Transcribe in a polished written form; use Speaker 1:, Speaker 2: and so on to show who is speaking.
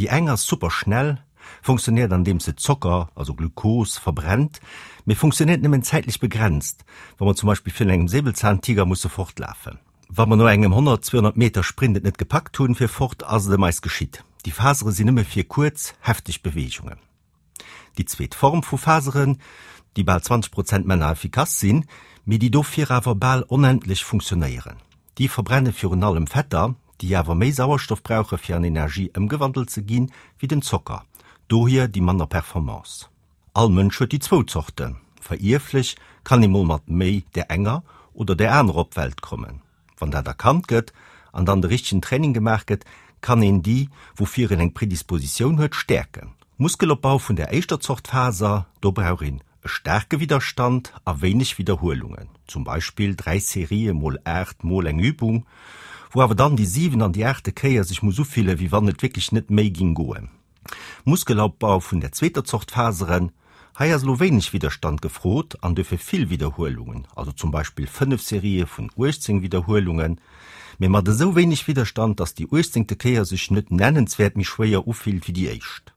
Speaker 1: Déi eng ass super schnell, funktionéiert andeems se Zocker, also Glukos, verbrennt, mee funktionéiert nëmmen zäitlech begrenzt, wa mer zum Beispill virun engem Säbelzahntiger musse fortlafen. Wa mer no engem 100, 200 Meter Sprint et net gepackt hunn fir fort, ass et ëm eis geschitt. Déi Fasere sinn nëmme fir kuerz, hefteg Beweegungen. Déi zweet Form vu Faseren, déi bal 20 Prozent männer effikass sinn, mee déi dofir awer bal onendlech funktionéieren. Déi verbrenne virun allem Fetter, déi awer méi Sauerstoff brauche fir an Energie ëmgewandelt ze ginn, wéi den Zocker, dohier déi manner Performance. All Mënsch huet déi zwou Zorten. Verierflech kann ee mol mat méi där enger oder där anerer op d'Welt kommen. Wann dat erkannt gëtt an dann de richtegen Training gemaach gëtt, kann een déi, woufir een eng Predispositioun huet, stäerken. Muskelopbau vun der éischter Zort Faser, do brauch een e staarke Widderstand a wéineg Widderhuelungen, zum Beispill 3 Serië mol 8 mol eng Übung, wou awer dann déi 7 an déi aachte Kéier sech muss ufille wéi wann et wierklech net méi ging goen. Muskelaopbau vun der zweeter Zort Faseren, Hei ass elo wéineg Widderstand gefrot an duerfir vill Widderhuelungen, also zum Beispill 5 Serië vun 18 Widderhuelungen, mee mat esou wéineg Widderstand, dass déi uechtzéngte Kéier sech net nennenswäert méi schwéier ufillt wéi déi éischt.